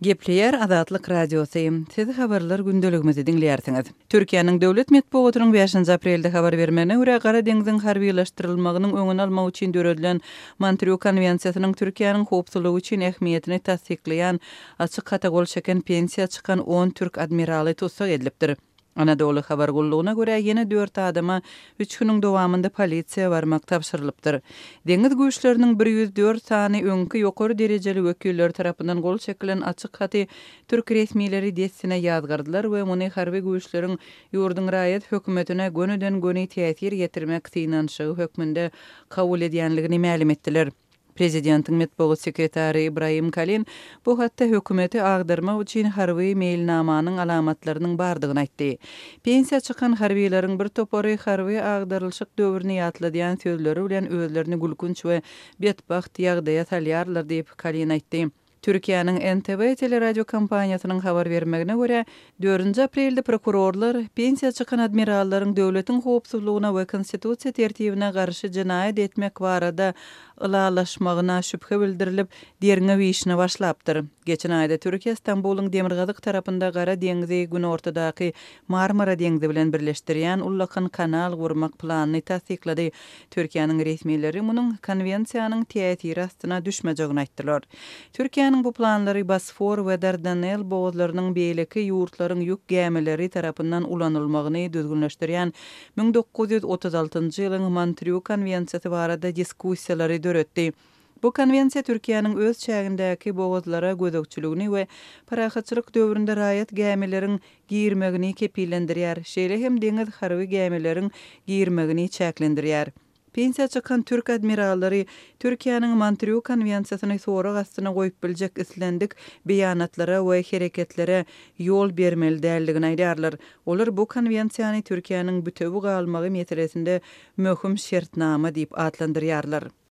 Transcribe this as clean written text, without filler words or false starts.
Gepleýär Azatlyk Radiosy, Siz habarlar gündeligimizi diňleýärsiňiz. Türkiýäniň döwlet metbugatynyň bäşinji aprelde habar bermegine görä, Gara deňziň harbylaşdyrylmagynyň öňüni almak üçin döredilen Montrýo konwensiýasynyň Türkiýäniň howpsuzlygy üçin ähmiýetini tassyklaýan açyk hata gol çeken pensiýa çykan on türk admiraly tussag edilipdir. Anadolu habar gullugyna görä, ýene dört adama üç günüň dowamynda polisiýa barmak tabşyrylypdyr. Deňiz güýçleriniň 104 sany öňki ýokary derejeli wekilleri tarapyndan gol çekilen açyk haty türk resmileri dessine ýazgardylar we muny harby güýçleriň ýurduň raýat hökümetine gönüden-göni täsir ýetirmek synanyşygy hökmünde kabul edýänligini mälim etdiler. Prezidentiň metbugat sekretary Ibrahim Kalin bu hatda hökümeti agdarmak üçin harby meýilnamanyň alamatlarynyň bardygyny aýtdy. Pensiýa çykan harbylaryň bir topary harby agdarylyşyk döwrüni ýatladýan sözleri bilen özlerini gülkünç we betbagt ýagdaýa salýarlar diýip, Kalin aýtdy. Türkiýäniň NTV teleradiokompaniýasynyň habar bermegine görä, dördünji aprelde prokurorlar pensiýa çykan admirallaryň döwletiň howpsuzlygyna we konstitusiýa tertibine garşy jenaýat etmek barada ylalaşmagyna şübhe bildirilip, derňew işine başlapdyr. Geçen aýda Türkiýe Stambulyň demirgazyk tarapynda Gara deňzi günortadaky Marmara deňzi bilen birleşdirýän ullakan kanal gurmak planyny tassyklady. Türkiýäniň resmileri munuň konwensiýanyň täsiri astyna düşmejegini aýtdylar. Türkiýäniň bu planlary Bosfor we Dardanel bogazlarynyň beýleki ýurtlaryň ýük gämileri tarapyndan ulanylmagyny düzgünleşdirýän 1936 ýylyň Montrýu konwensiýasy barada diskussiýalary döretdi. Bu konwensiýa Türkiýäniň öz çägindäki bogazlara gözegçiligini we parahatçylyk döwründe raýat gämileriň girmegini kepillendirýär, şeýle hem deňiz harby gämileriň girmegini çäklendirýär. Pensiýa çykan türk admirallary Türkiýäniň Montrýu konwensiýasyny sorag astyna goýup biljek islendik beýanatlara we hereketlere ýol bermeli däldigini aýdýarlar. Olar bu konwensiýany Türkiýäniň bütewi galmagy meselesinde möhüm şertnama diýip atlandyrýarlar.